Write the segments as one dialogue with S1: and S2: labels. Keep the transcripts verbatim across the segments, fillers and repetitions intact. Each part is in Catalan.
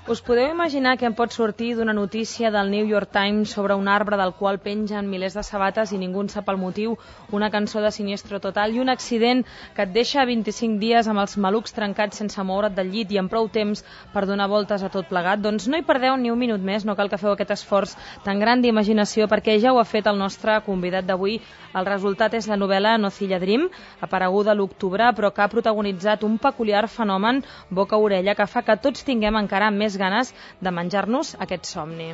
S1: Us podeu imaginar què en pot sortir d'una notícia del New York Times sobre un arbre del qual pengen milers de sabates i ningú en sap el motiu, una cançó de Siniestro Total i un accident que et deixa vint-i-cinc dies amb els malucs trencats sense moure't del llit i amb prou temps per donar voltes a tot plegat? Doncs no hi perdeu ni un minut més, no cal que feu aquest esforç tan gran d'imaginació perquè ja ho ha fet el nostre convidat d'avui. El resultat és la novel·la Nocilla Dream, apareguda a l'octubre, però que ha protagonitzat un peculiar fenomen boca-orella que fa que tots tinguem encara més ganes de menjar-nos aquest somni.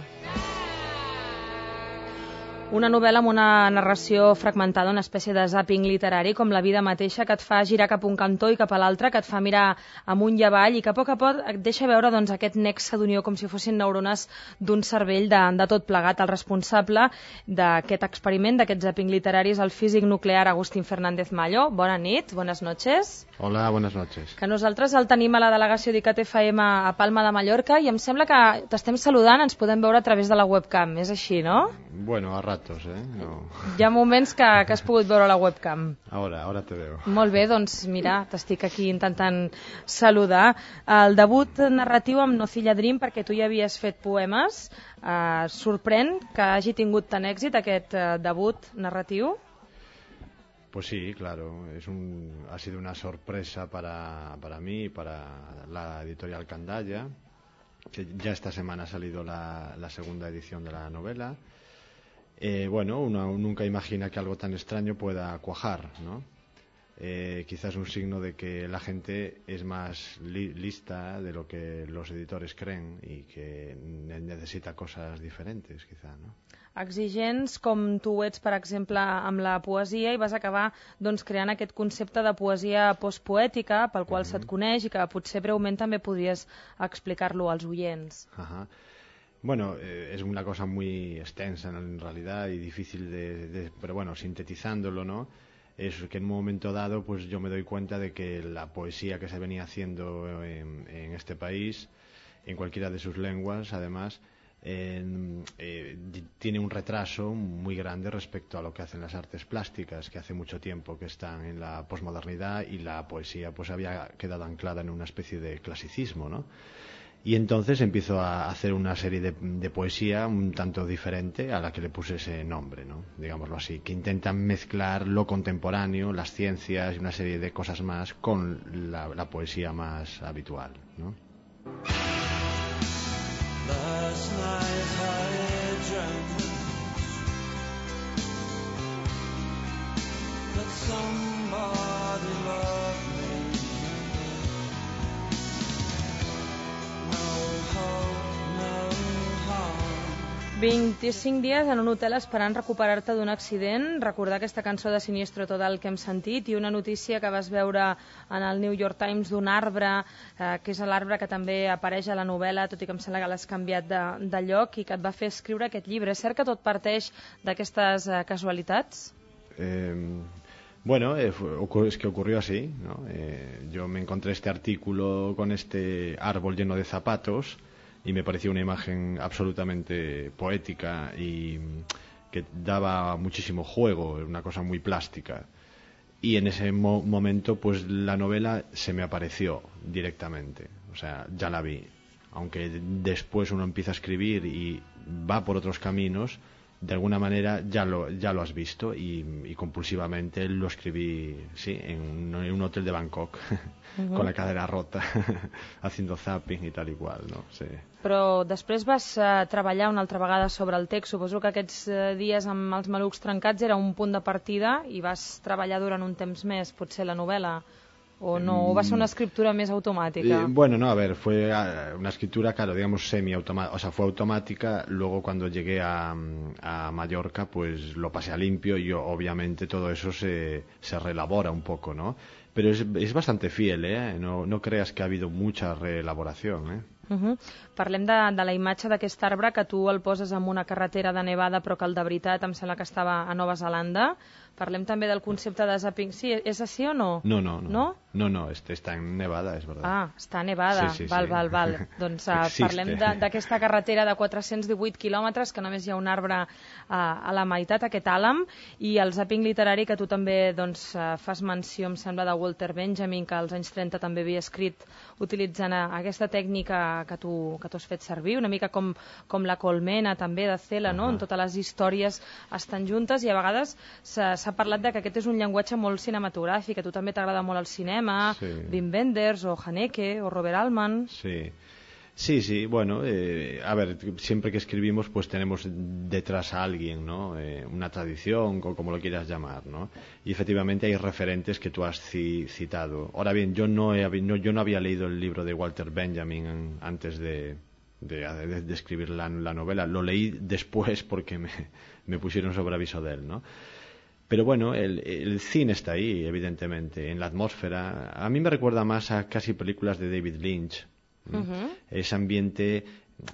S1: Una novel·la amb una narració fragmentada, una espècie de zàping literari, com la vida mateixa, que et fa girar cap un cantó i cap a l'altre, que et fa mirar amunt i avall i que a poc a poc et deixa veure doncs, aquest nexe d'unió com si fossin neurones d'un cervell de, de tot plegat. El responsable d'aquest experiment, d'aquest zàping literari, és el físic nuclear Agustín Fernández Mallo. Bona nit, buenas noches.
S2: Hola, buenas noches.
S1: Que nosaltres el tenim a la delegació d'ICAT F M a Palma de Mallorca i em sembla que t'estem saludant, ens podem veure a través de la webcam, és així, no?
S2: Bueno, a ratos, eh? No.
S1: Hi ha moments que, que has pogut veure la webcam.
S2: Ahora, ahora te veo.
S1: Molt bé, doncs mira, t'estic aquí intentant saludar. El debut narratiu amb Nocilla Dream, perquè tu ja havies fet poemes, eh, sorprèn que hagi tingut tant èxit aquest eh, debut narratiu?
S2: Pues sí, claro, es un, ha sido una sorpresa para, para mí y para la editorial Candaya, que ya esta semana ha salido la, la segunda edición de la novela. Eh, bueno, uno nunca imagina que algo tan extraño pueda cuajar, ¿no? Eh, quizás un signo de que la gente es más li lista de lo que los editores creen y que ne necesita cosas diferentes, quizá, ¿no?
S1: Exigents com tu ets, per exemple, amb la poesia i vas acabar doncs, creant aquest concepte de poesia postpoètica pel qual mm-hmm. se't coneix i que potser breument també podries explicar-lo als oients.
S2: Ajá. Bueno, eh, es una cosa muy extensa en realidad y difícil de, de... pero bueno, sintetizándolo, ¿no? Es que en un momento dado pues yo me doy cuenta de que la poesía que se venía haciendo en, en este país, en cualquiera de sus lenguas, además, eh, eh, tiene un retraso muy grande respecto a lo que hacen las artes plásticas, que hace mucho tiempo que están en la posmodernidad y la poesía pues había quedado anclada en una especie de clasicismo, ¿no? Y entonces empiezo a hacer una serie de, de poesía un tanto diferente a la que le puse ese nombre, ¿no? Digámoslo así, que intentan mezclar lo contemporáneo, las ciencias y una serie de cosas más con la, la poesía más habitual, ¿no?
S1: vint-i-cinc dies en un hotel esperant recuperar-te d'un accident, recordar aquesta cançó de Siniestro Total que hem sentit i una notícia que vas veure en el New York Times d'un arbre, eh, que és l'arbre que també apareix a la novel·la, tot i que em sembla que l'has canviat de, de lloc i que et va fer escriure aquest llibre. És cert que tot parteix d'aquestes eh, casualitats?
S2: Eh... Bueno, eh, es que ocurrió así, ¿no? Eh, yo me encontré este artículo con este árbol lleno de zapatos y me pareció una imagen absolutamente poética y que daba muchísimo juego, una cosa muy plástica. Y en ese mo momento, pues la novela se me apareció directamente, o sea, ya la vi. Aunque después uno empieza a escribir y va por otros caminos, de alguna manera ya lo, ya lo has visto y, y compulsivamente lo escribí, sí, en un, en un hotel de Bangkok, uh-huh. con la cadera rota, haciendo zapping y tal y cual, no? Sí.
S1: Però després vas uh, treballar una altra vegada sobre el text. Suposo que aquests uh, dies amb els malucs trencats era un punt de partida i vas treballar durant un temps més, potser la novel·la. ¿O no? ¿O va a ser una escritura más automática?
S2: Eh, bueno, no, a ver, fue una escritura, claro, digamos semi-automática, o sea, fue automática. Luego cuando llegué a, a Mallorca, pues lo pasé a limpio y yo, obviamente todo eso se, se reelabora un poco, ¿no? Pero es, es bastante fiel, ¿eh? No, no creas que ha habido mucha reelaboración, ¿eh?
S1: Uh-huh. Parlem de, de la imatge d'aquest arbre que tu el poses en una carretera de nevada però que el de veritat em sembla que estava a Nova Zelanda. Parlem també del concepte de zapping. Sí, és així o no?
S2: No, no, no.
S1: No?
S2: No, no, este está en Nevada, és verdad.
S1: Ah, està a Nevada.
S2: Sí, sí,
S1: val,
S2: sí.
S1: val, val. Doncs uh, parlem d'aquesta carretera de quatre-cents divuit quilòmetres que només hi ha un arbre uh, a la meitat, aquest àlam, i el zapping literari que tu també doncs, uh, fas menció, em sembla, de Walter Walter Benjamin, que als anys trenta també havia escrit utilitzant aquesta tècnica que tu, que tu has fet servir, una mica com, com la Colmena també de Cela, no?
S2: Uh-huh.
S1: On totes les històries estan juntes, i a vegades s'ha parlat de que aquest és un llenguatge molt cinematogràfic, que a tu també t'agrada molt el cinema, sí. Wim Wenders o Haneke o Robert Altman.
S2: Sí. Sí, sí, bueno, eh, a ver, siempre que escribimos pues tenemos detrás a alguien, ¿no? Eh, una tradición, o como lo quieras llamar, ¿no? Y efectivamente hay referentes que tú has ci citado. Ahora bien, yo no, he, no, yo no había leído el libro de Walter Benjamin antes de, de, de, de escribir la, la novela. Lo leí después porque me, me pusieron sobre aviso de él, ¿no? Pero bueno, el, el cine está ahí, evidentemente, en la atmósfera. A mí me recuerda más a casi películas de David Lynch. Uh-huh. Ese ambiente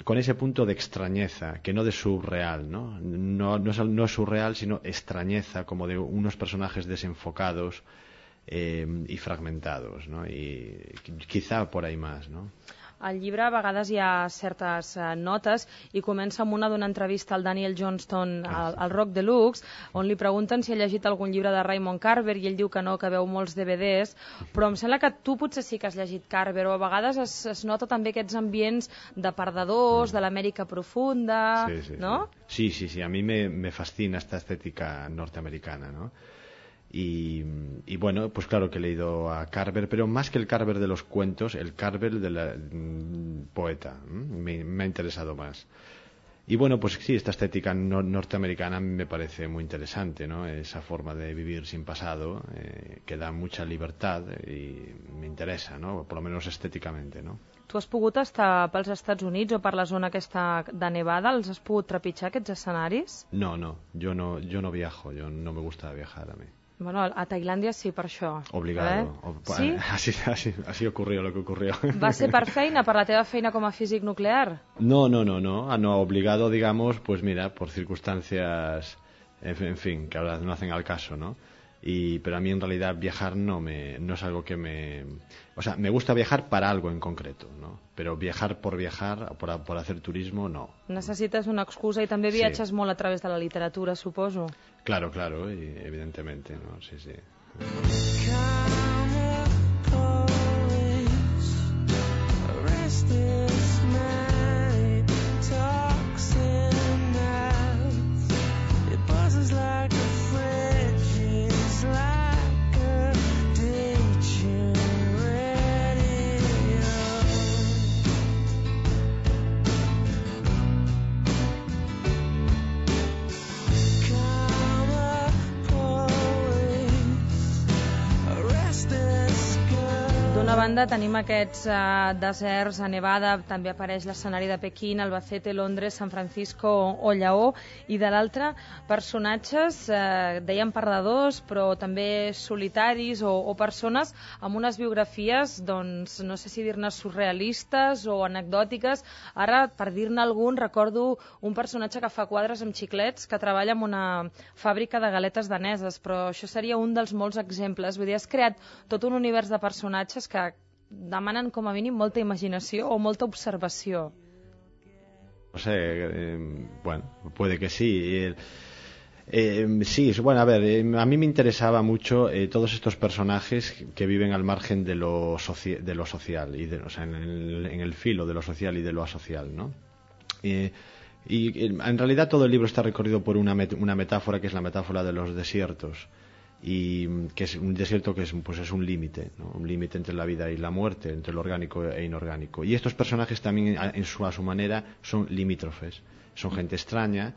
S2: con ese punto de extrañeza, que no de surreal, ¿no? No, no, es, no es surreal, sino extrañeza, como de unos personajes desenfocados eh, y fragmentados, ¿no? Y quizá por ahí más, ¿no?
S1: Al llibre a vegades hi ha certes uh, notes, i comença amb una d'una entrevista al Daniel Johnston al, al Rock Deluxe, on li pregunten si ha llegit algun llibre de Raymond Carver, i ell diu que no, que veu molts D V Ds, però em sembla que tu potser sí que has llegit Carver, o a vegades es, es nota també aquests ambients de perdedors, mm. de l'Amèrica profunda,
S2: sí, sí,
S1: ¿no?
S2: Sí, sí, sí, a mí me, me fascina esta estética norteamericana, ¿no? Y, y bueno, pues claro que he leído a Carver, pero más que el Carver de los cuentos, el Carver de la mm, poeta, me, me ha interesado más. Y bueno, pues sí, esta estética no, norteamericana me parece muy interesante, ¿no? Esa forma de vivir sin pasado, eh, que da mucha libertad y me interesa, ¿no? Por lo menos estéticamente, ¿no?
S1: Tu has pogut estar pels Estats Units o per la zona aquesta de Nevada? Els has pogut trepitjar, aquests escenaris?
S2: No, no, yo no, yo no viajo, yo no me gusta viajar a mí.
S1: Bueno, a Tailandia sí, per això.
S2: Obligado.
S1: Eh?
S2: O,
S1: sí?
S2: Así, así, así ocurrió lo que ocurrió.
S1: Va ser per feina, per la teva feina com a físic nuclear?
S2: No, no, no, no. Ah, no, obligado, digamos, pues mira, por circunstancias, en, en fin, que ahora no hacen al caso, ¿no? Y, pero a mí en realidad viajar no me no es algo que me... O sea, me gusta viajar para algo en concreto, ¿no? Pero viajar por viajar, por, por hacer turismo, no.
S1: Necessites una excusa, i també viatges sí. molt a través de la literatura, suposo.
S2: Claro, claro, y evidentemente, ¿no? Sí, sí.
S1: D'una banda tenim aquests uh, deserts a Nevada, també apareix l'escenari de Pequín, Albacete, Londres, San Francisco o Lleó, i de l'altra personatges, uh, dèiem perdedors, però també solitaris o, o persones amb unes biografies, doncs, no sé si dir-ne surrealistes o anecdòtiques. Ara, per dir-ne algun, recordo un personatge que fa quadres amb xiclets, que treballa en una fàbrica de galetes daneses, però això seria un dels molts exemples. Vull dir, has creat tot un univers de personatges que demanen com a mínim molta imaginació o molta observació.
S2: No sé, eh, bueno, puede que sí. Eh, eh, sí, bueno, a ver, eh, a mí me interesaba mucho eh, todos estos personajes que viven al margen de lo, soci de lo social, y de, o sea, en el, en el filo de lo social y de lo asocial, ¿no? Eh, y en realidad todo el libro está recorrido por una, met una metáfora, que es la metáfora de los desiertos, y que es un desierto que es, pues es un límite, ¿no? Un límite entre la vida y la muerte, entre lo orgánico e inorgánico. Y estos personajes también, en su, a su manera, son limítrofes, son gente extraña,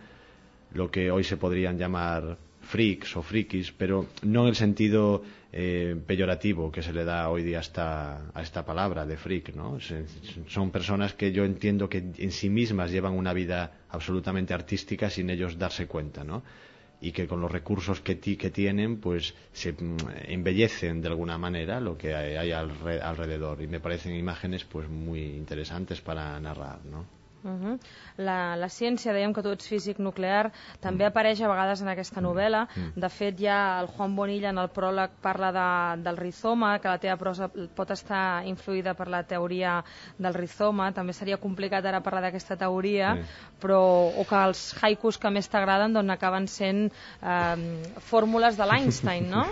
S2: lo que hoy se podrían llamar freaks o frikis, pero no en el sentido eh, peyorativo que se le da hoy día a esta, a esta palabra de freak, ¿no? Son personas que yo entiendo que en sí mismas llevan una vida absolutamente artística sin ellos darse cuenta, ¿no? Y que con los recursos que, ti, que tienen, pues se embellecen de alguna manera lo que hay, hay alre, alrededor, y me parecen imágenes pues muy interesantes para narrar, ¿no?
S1: Uh-huh. la, la ciència, dèiem que tu ets físic nuclear, també mm. apareix a vegades en aquesta novel·la. Mm. De fet, ja el Juan Bonilla en el pròleg parla de, del rizoma, que la teva prosa pot estar influïda per la teoria del rizoma. També seria complicat ara parlar d'aquesta teoria, sí. però, o que els haikus que més t'agraden doncs, acaben sent eh, fórmules de l'Einstein, no?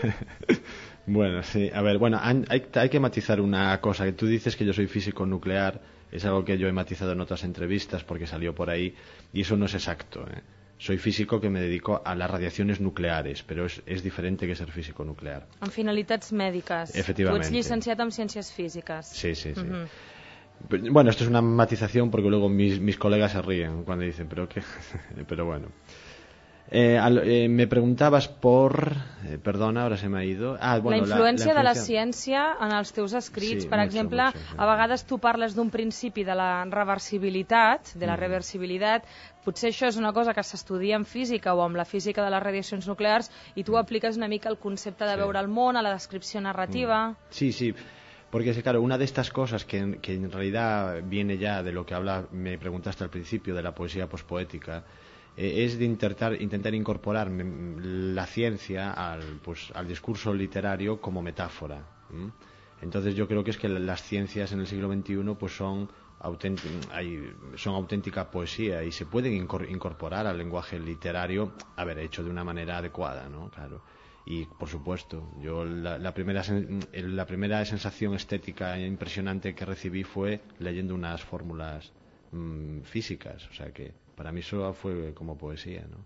S2: Bueno, sí, a ver, bueno, hay, hay que matizar una cosa, que tú dices que yo soy físico nuclear, es algo que yo he matizado en otras entrevistas porque salió por ahí, y eso no es exacto, ¿eh? Soy físico que me dedico a las radiaciones nucleares, pero es, es diferente que ser físico nuclear.
S1: En finalitats mèdiques.
S2: Efectivamente.
S1: Tu ets llicenciat en ciències físiques.
S2: Sí, sí, sí.
S1: Uh-huh.
S2: Bueno, esto es una matización porque luego mis, mis colegas se ríen cuando dicen, pero qué, pero bueno. Eh, al, eh, me preguntabas por... Eh, perdona, ahora se me ha ido... Ah, bueno,
S1: la, influència
S2: la, la influència
S1: de la ciència en els teus escrits.
S2: Sí,
S1: per
S2: mucho,
S1: exemple,
S2: mucho, sí.
S1: A vegades tu parles d'un principi de la reversibilitat, de la mm. reversibilitat. Potser això és una cosa que s'estudia en física o amb la física de les radiacions nuclears i tu mm. apliques una mica el concepte de sí. veure el món, a la descripció narrativa.
S2: Mm. Sí, sí. Porque, claro, una de estas cosas que, que en realidad viene ya de lo que habla, me preguntaste al principio, de la poesía pospoética, eh, es de intentar, intentar incorporar la ciencia al, pues, al discurso literario como metáfora. ¿m? Entonces yo creo que es que las ciencias en el siglo veintiuno pues son, hay, son auténtica poesía y se pueden incorporar al lenguaje literario, a ver, hecho de una manera adecuada, ¿no? Claro. Y, por supuesto, yo la, la, primera, la primera sensación estética impresionante que recibí fue leyendo unas fórmulas mmm, físicas. O sea que para mí eso fue como poesía, ¿no?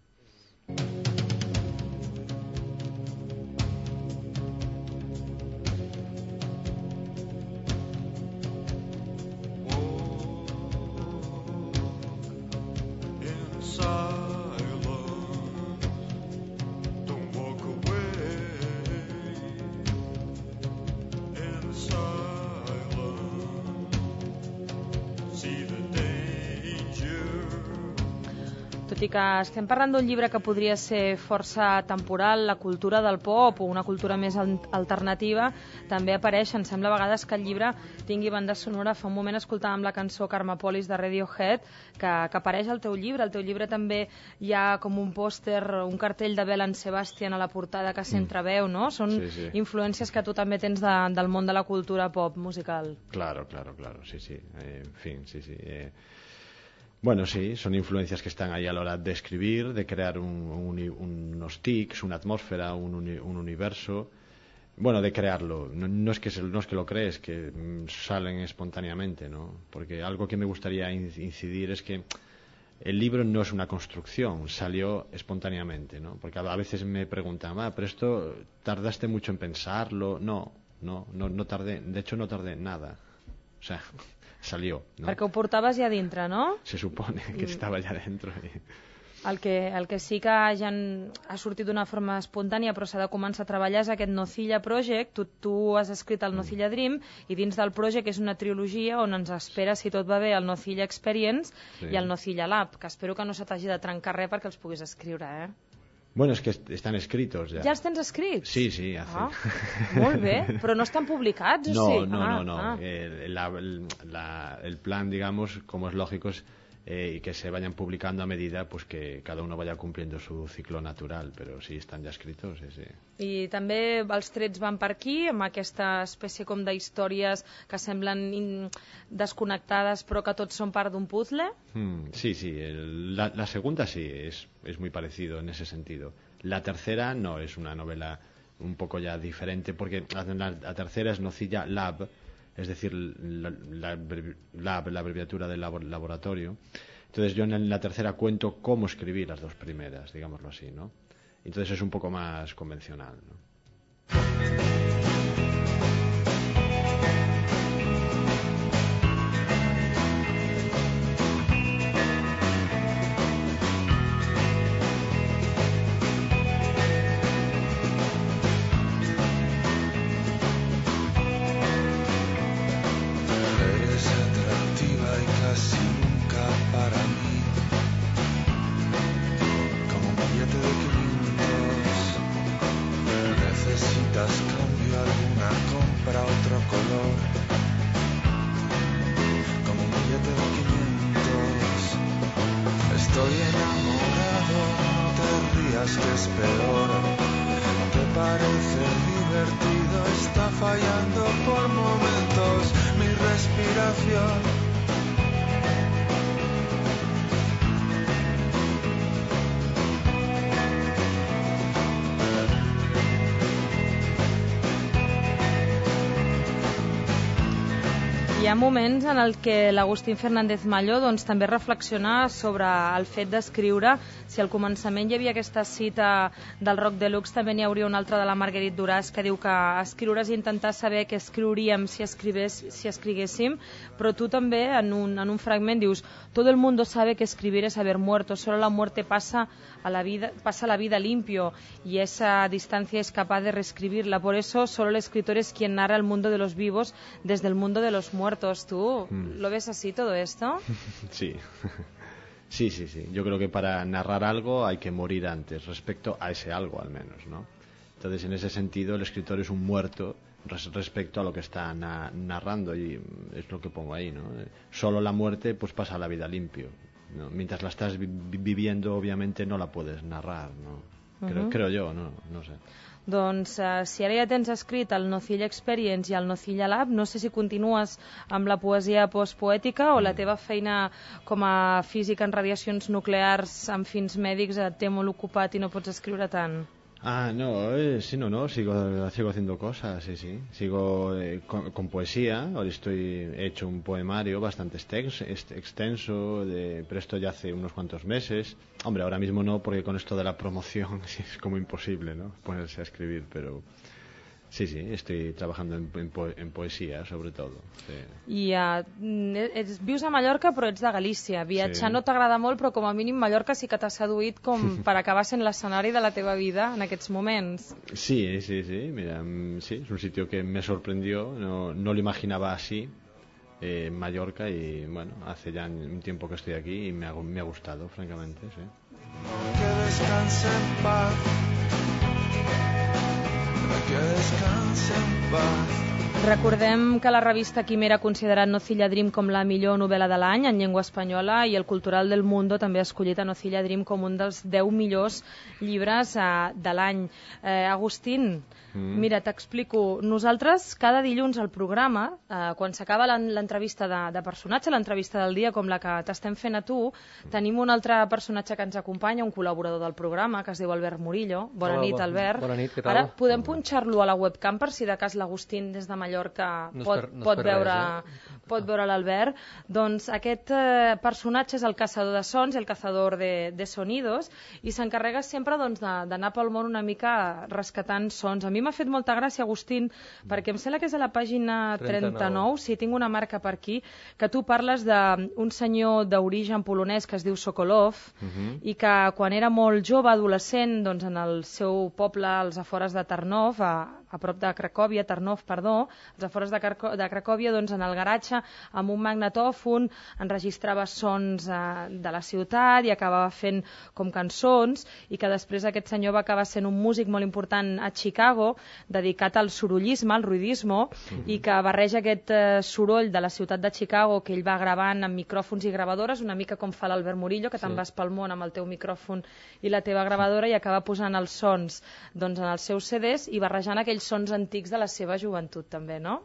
S1: Tot i que estem parlant d'un llibre que podria ser força temporal, la cultura del pop o una cultura més alternativa, també apareix, em sembla a vegades que el llibre tingui banda sonora. Fa un moment escoltàvem la cançó Karmapolis de Radiohead, que, que apareix al teu llibre. Al teu llibre també hi ha com un pòster, un cartell de Belle Sebastian a la portada que s'entreveu, no? Són
S2: sí, sí.
S1: influències que tu també tens de, del món de la cultura pop musical.
S2: Claro, claro, claro, sí, sí. Eh, en fin, sí, sí. Eh... Bueno, sí, son influencias que están ahí a la hora de escribir, de crear un, un, unos tics, una atmósfera, un, un universo. Bueno, de crearlo. No, no, es que se, no es que lo crees, que salen espontáneamente, ¿no? Porque algo que me gustaría incidir es que el libro no es una construcción, salió espontáneamente, ¿no? Porque a veces me preguntan, ah, pero esto tardaste mucho en pensarlo. No, no, no, no tardé, de hecho no tardé nada. O sea... salió, ¿no?
S1: Perquè ho portaves ja dintre, no?
S2: Se supone que estava ja dentro.
S1: El que, el que sí que ja ha sortit d'una forma espontània però s'ha de començar a treballar és aquest Nocilla Project. Tu, tu has escrit el Nocilla Dream i dins del project és una trilogia on ens espera, si tot va bé, el Nocilla Experience sí. i el Nocilla Lab, que espero que no se t'hagi de trencar res perquè els puguis escriure, eh?
S2: Bueno, es que están escritos ya.
S1: ¿Ya els tens escrits?
S2: Sí, sí, hace.
S1: Ah, molt bé, però no estan publicats, o
S2: no,
S1: sí?
S2: No,
S1: ah,
S2: no, no,
S1: ah.
S2: el, la, la, el plan, digamos, como es lógico, es eh, que se vayan publicando a medida pues que cada uno vaya cumpliendo su ciclo natural, pero sí están ya escritos, sí, sí.
S1: I també els trets van per aquí, amb aquesta espècie com d'històries que semblen in... desconnectades però que tots són part d'un puzzle?
S2: Hmm, sí, sí, el, la, la segunda sí, es, es muy parecido en ese sentido. La tercera no, es una novela un poco ya diferente, porque la, la tercera es Nocilla Lab, es decir, la, la, lab, la abreviatura del labor, laboratorio. Entonces yo en la tercera cuento cómo escribí las dos primeras, digámoslo así, ¿no? Entonces es un poco más convencional, ¿no?
S1: ha moments en el que l'Agustín Fernández Malló doncs, també reflexiona sobre el fet d'escriure. Si al començament hi havia aquesta cita del Rock Deluxe, també n'hi hauria una altra de la Marguerite Duras que diu que escriure és intentar saber què escriuríem si, escrivés, si escriguéssim, però tu també en un, en un fragment dius todo el mundo sabe que escribir es haber muerto, solo la muerte pasa a la vida, pasa la vida limpio y esa distancia es capaz de reescribirla, por eso solo el escritor es quien narra el mundo de los vivos desde el mundo de los muertos. ¿Tú mm. lo ves así todo esto?
S2: Sí. Sí, sí, sí. Yo creo que para narrar algo hay que morir antes, respecto a ese algo al menos, ¿no? Entonces, en ese sentido, el escritor es un muerto res respecto a lo que está na narrando, y es lo que pongo ahí, ¿no? Solo la muerte pues pasa la vida limpio, ¿no? Mientras la estás vi viviendo, obviamente no la puedes narrar, ¿no? Creo, uh-huh. creo yo, no, no sé.
S1: Doncs uh, si ara ja tens escrit el Nocilla Experience i el Nocilla Lab, no sé si continues amb la poesia postpoètica o la teva feina com a físic en radiacions nuclears amb fins mèdics et té molt ocupat i no pots escriure tant.
S2: Ah, no, eh, sí, no, no, sigo, sigo haciendo cosas, sí, sí. Sigo eh, con, con poesía. Ahora estoy he hecho un poemario bastante extenso, extenso de, pero esto ya hace unos cuantos meses. Hombre, ahora mismo no, porque con esto de la promoción es como imposible, ¿no? Ponerse a escribir, pero sí, sí, estoy trabajando en, en, po en poesía, sobre todo. Sí.
S1: I uh, ets, vius a Mallorca, però ets de Galícia. Viatjar sí. no t'agrada molt, però com a mínim Mallorca sí que t'ha seduït com per acabar sent l'escenari de la teva vida en aquests moments.
S2: Sí, sí, sí. Mira, sí, es un sitio que me sorprendió, no, no lo imaginaba así. Eh, en Mallorca, y bueno, hace ya un tiempo que estoy aquí y me ha, me ha gustado, francamente, sí.
S3: Que descanse en paz, que descanse en paz.
S1: Recordem que la revista Quimera ha considerat Nocilla Dream com la millor novel·la de l'any en llengua espanyola, i el Cultural del Mundo també ha escollit a Nocilla Dream com un dels deu millors llibres eh, de l'any. Eh, Agustín, mm. mira, t'explico. Nosaltres cada dilluns al programa, eh, quan s'acaba l'entrevista de, de personatge, l'entrevista del dia com la que t'estem fent a tu, tenim un altre personatge que ens acompanya, un col·laborador del programa, que es diu Albert Murillo. Bona Hola, nit, Albert.
S4: Bona nit, què tal?
S1: Ara podem punxar-lo a la webcam per si de cas l'Agustín des de Mallorca no pot, per, no pot, veure, res, eh? pot veure l'Albert. Doncs aquest eh, personatge és el caçador de sons, el cazador de, de sonidos, i s'encarrega sempre doncs, d'anar pel món una mica rescatant sons. A mi m'ha fet molta gràcia, Agustín, perquè em sembla que és a la pàgina trenta-nou, si sí, tinc una marca per aquí, que tu parles d'un senyor d'origen polonès que es diu Sokolov, uh -huh. i que quan era molt jove, adolescent, doncs, en el seu poble, als afores de Tarnov, a, a prop de Cracòvia, Tarnov, perdó, als afores de, Carco de Cracòvia, doncs, en el garatge, amb un magnetòfon, enregistrava sons eh, de la ciutat i acabava fent com cançons, i que després aquest senyor va acabar sent un músic molt important a Chicago, dedicat al sorollisme, al ruidismo, mm-hmm. i que barreja aquest eh, soroll de la ciutat de Chicago que ell va gravant amb micròfons i gravadores, una mica com fa l'Albert Murillo, que sí. te'n vas pel món amb el teu micròfon i la teva gravadora, i acaba posant els sons doncs, en els seus C Ds i barrejant aquells sons antics de la seva joventut també, no?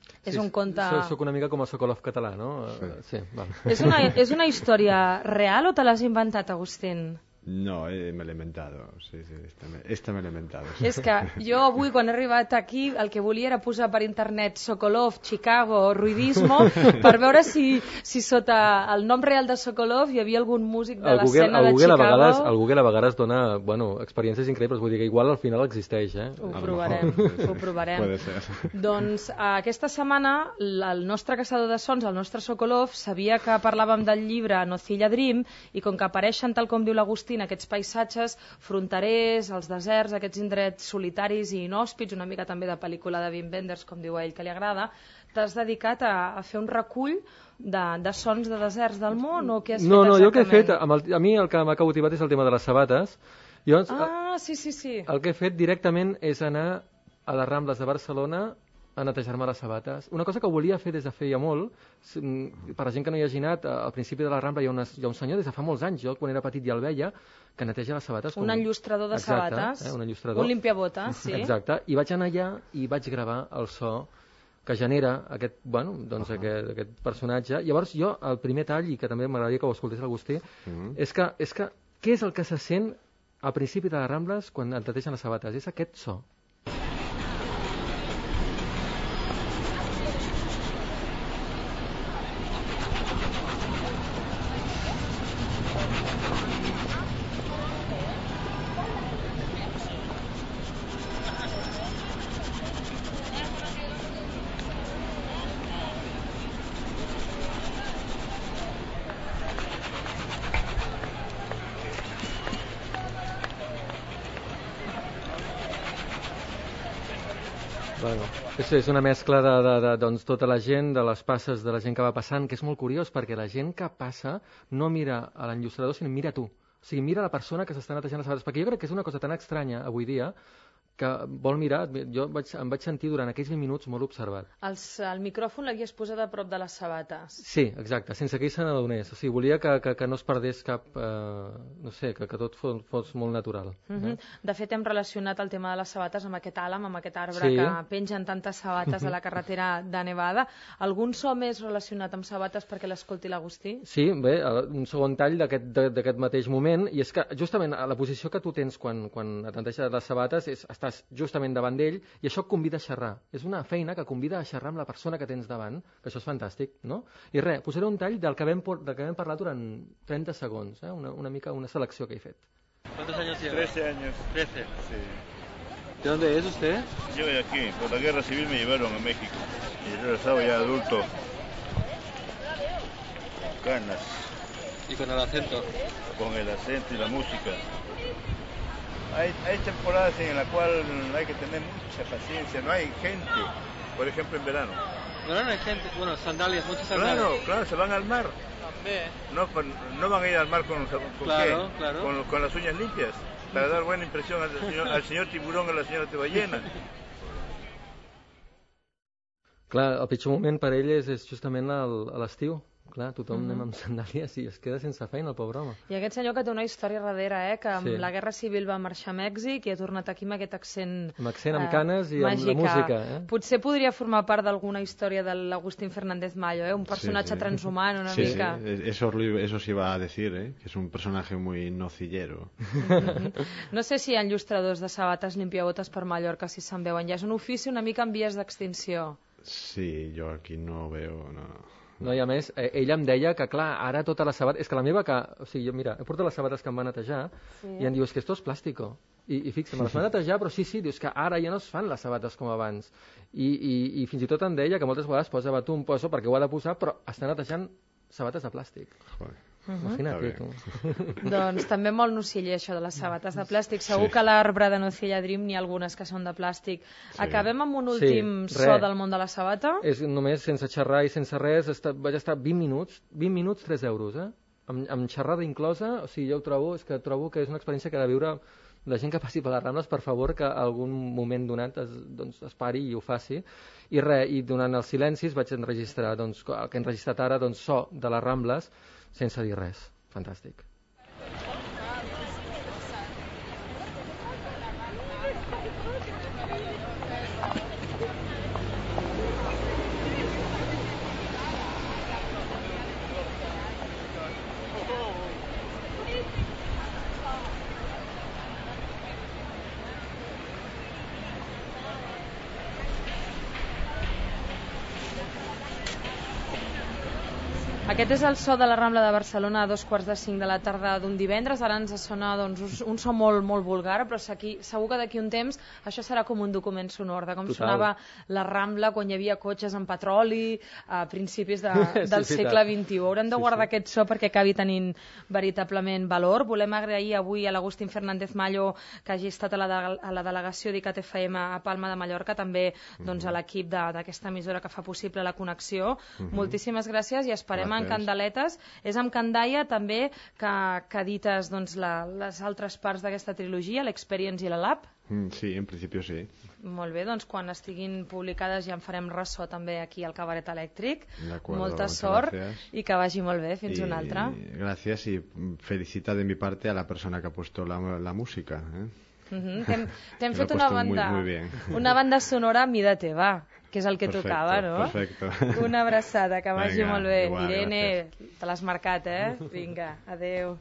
S4: Sí,
S1: és un conte...
S4: Soc una mica com a Sokolov català, no? Sí. Sí, val.
S1: És una, és una història real o te l'has inventat, Agustín?
S2: No, eh, me l'he inventado, sí, sí, esta me, esta me l'he inventado. Sí.
S1: És que jo avui, quan he arribat aquí, el que volia era posar per internet Sokolov, Chicago, Ruidismo, per veure si, si sota el nom real de Sokolov hi havia algun músic de l'escena de Chicago.
S4: A vegades, el Google a vegades dona bueno, experiències increïbles, vull dir que igual al final existeix. Eh?
S1: Ho provarem, ho provarem.
S2: Puede ser.
S1: Doncs aquesta setmana el nostre caçador de sons, el nostre Sokolov, sabia que parlàvem del llibre Nocilla Dream, i com que apareixen, tal com diu l'Agustí, aquests paisatges fronterers, els deserts, aquests indrets solitaris i inhòspits, una mica també de pel·lícula de Wim Wenders, com diu a ell que li agrada, t'has dedicat a, a fer un recull de, de sons de deserts del món, o què has
S4: no,
S1: fet
S4: no,
S1: exactament?
S4: Jo el que he fet, amb el, a mi el que m'ha cautivat és el tema de les sabates. Jo,
S1: ah, sí, sí, sí.
S4: El que he fet directament és anar a les Rambles de Barcelona a netejar-me les sabates. Una cosa que volia fer des de feia molt, per la gent que no hi hagi anat, al principi de la Rambla hi ha, una, hi ha un senyor des de fa molts anys, jo quan era petit ja el veia, que neteja les sabates.
S1: Un com... enllustrador de
S4: Exacte,
S1: sabates,
S4: eh, un, enllustrador.
S1: un limpiabotes, sí.
S4: Exacte, i vaig anar allà i vaig gravar el so que genera aquest, bueno, doncs uh -huh. aquest, aquest personatge. Llavors jo, el primer tall, i que també m'agradaria que ho escoltés l'Agustí, uh -huh. és, que, és que què és el que se sent al principi de les Rambles quan et netegen les sabates? És aquest so. Bueno, és, és una mescla de, de, de doncs, tota la gent, de les passes de la gent que va passant, que és molt curiós, perquè la gent que passa no mira a l'enllustrador, sinó mira a tu. O sigui, mira la persona que s'està netejant les sabates, perquè jo crec que és una cosa tan estranya avui dia que vol mirar, jo vaig, em vaig sentir durant aquells vint minuts molt observat.
S1: Els, el micròfon l'havies posat a prop de les sabates.
S4: Sí, exacte, sense que ell se n'adonés. O sigui, volia que, que, que no es perdés cap, eh, no sé, que, que tot fos, fos molt natural.
S1: Uh -huh. eh? De fet, hem relacionat el tema de les sabates amb aquest àlam, amb aquest arbre
S4: sí.
S1: que pengen tantes sabates a la carretera de Nevada. Algun so més relacionat amb sabates perquè l'escolti l'Agustí?
S4: Sí, bé, un segon tall d'aquest mateix moment, i és que justament a la posició que tu tens quan, quan et neteges les sabates és estar estàs justament davant d'ell i això et convida a xerrar. És una feina que convida a xerrar amb la persona que tens davant, que això és fantàstic, no? I res, posaré un tall del que vam, del que vam parlar durant trenta segons, eh? una, una mica una selecció que he fet.
S5: ¿Cuántos años lleva?
S6: trece años.
S5: trece.
S6: Sí.
S5: ¿De dónde es usted?
S6: Yo de aquí, por la guerra civil me llevaron a México. Y regresaba ya adulto. Ganas.
S5: ¿Y con el acento?
S6: Con el acento y la música. Hay, hay temporadas en las cuales hay que tener mucha paciencia, no hay gente, por ejemplo en verano.
S5: Verano hay gente, bueno, sandalias, muchas sandalias.
S6: Claro, claro, se van al mar.
S5: También.
S6: No, no van a ir al mar con, con,
S5: claro,
S6: ¿qué?
S5: Claro.
S6: Con, con las uñas limpias, para dar buena impresión al señor, al señor tiburón o a la senyora ballena.
S4: Clar, el pitjor moment per ell és, és justament l'estiu. Clar, tothom mm-hmm. anem amb sandàlies i es queda sense feina, el pobre home.
S1: I aquest senyor que té una història darrere, eh, que amb
S4: sí.
S1: la Guerra Civil va marxar a Mèxic i ha tornat aquí amb aquest accent
S4: amb accent, amb canes i
S1: màgica.
S4: Amb la música. Eh?
S1: Potser podria formar part d'alguna història de l'Agustín Fernández Mayo, eh? Un personatge sí, sí. transhumant una
S2: sí,
S1: mica.
S2: Sí, eso, eso sí va a decir, ¿eh? Que es un personaje muy nocillero.
S1: No sé si hi ha enllustradors de sabates limpiabotes per Mallorca, si se'n veuen. Ja és un ofici una mica en vies d'extinció.
S2: Sí, jo aquí no veo... No.
S4: No, i a més, eh, ell em deia que, clar, ara tota la sabata... És que la meva, que... O sigui, jo, mira, he portat les sabates que em va netejar sí. i em diu, és que esto es plàstico. I, i fixa, me les va netejar, però sí, sí, dius que ara ja no es fan les sabates com abans. I, i, i fins i tot em deia que moltes vegades posa batum, poso, perquè ho ha de posar, però està netejant sabates de plàstic.
S2: Joder.
S1: Uh-huh.
S4: Imagina't, tu.
S1: Doncs també molt nociller això de les sabates de plàstic. Segur sí. que a l'arbre de Nocilla Dream n'hi ha algunes que són de plàstic. Sí. Acabem amb un últim sí, so del món de la sabata.
S4: És només sense xerrar i sense res, esta, vaig estar vint minuts, vint minuts, tres euros, eh? Amb, amb xerrada inclosa, o sigui, jo ho trobo, és que trobo que és una experiència que ha de viure la gent que passi per les Rambles, per favor, que algun moment donat es, doncs, es pari i ho faci. I res, i durant els silencis vaig enregistrar, doncs, el que he enregistrat ara, doncs, so de les Rambles, sense dir res. Fantàstic.
S1: Aquest és el so de la Rambla de Barcelona a dos quarts de cinc de la tarda d'un divendres. Ara ens sona doncs, un so molt, molt vulgar, però aquí, segur que d'aquí un temps això serà com un document sonor de com Total. sonava la Rambla quan hi havia cotxes amb petroli a principis de, del sí, segle vint-i-u. Haurem de guardar sí, sí. aquest so perquè acabi tenint veritablement valor. Volem agrair avui a l'Agustín Fernández Mayo que hagi estat a la, de, a la delegació d'ICAT F M a Palma de Mallorca, també doncs, a l'equip d'aquesta emissora que fa possible la connexió. Uh-huh. Moltíssimes gràcies i esperem en Candeletes. És amb Candaia també que, que edites doncs, la, les altres parts d'aquesta trilogia, l'Experience i la Lab.
S2: Mm, sí, en principi sí.
S1: Molt bé, doncs quan estiguin publicades ja en farem ressò també aquí al Cabaret Elèctric. Molta sort gracias. I que vagi molt bé. Fins y, una altra.
S2: Gràcies i felicita de mi parte a la persona que ha puesto la, la música. ¿eh?
S1: Uh-huh. T'hem, t'hem fet una banda, muy, muy una banda sonora a mida teva, que és el que perfecto, tocava, no?
S2: Perfecto.
S1: Una abraçada, que vagi Venga, molt bé.
S2: Igual,
S1: Irene,
S2: gràcies.
S1: te l'has marcat, eh? Vinga, adeu.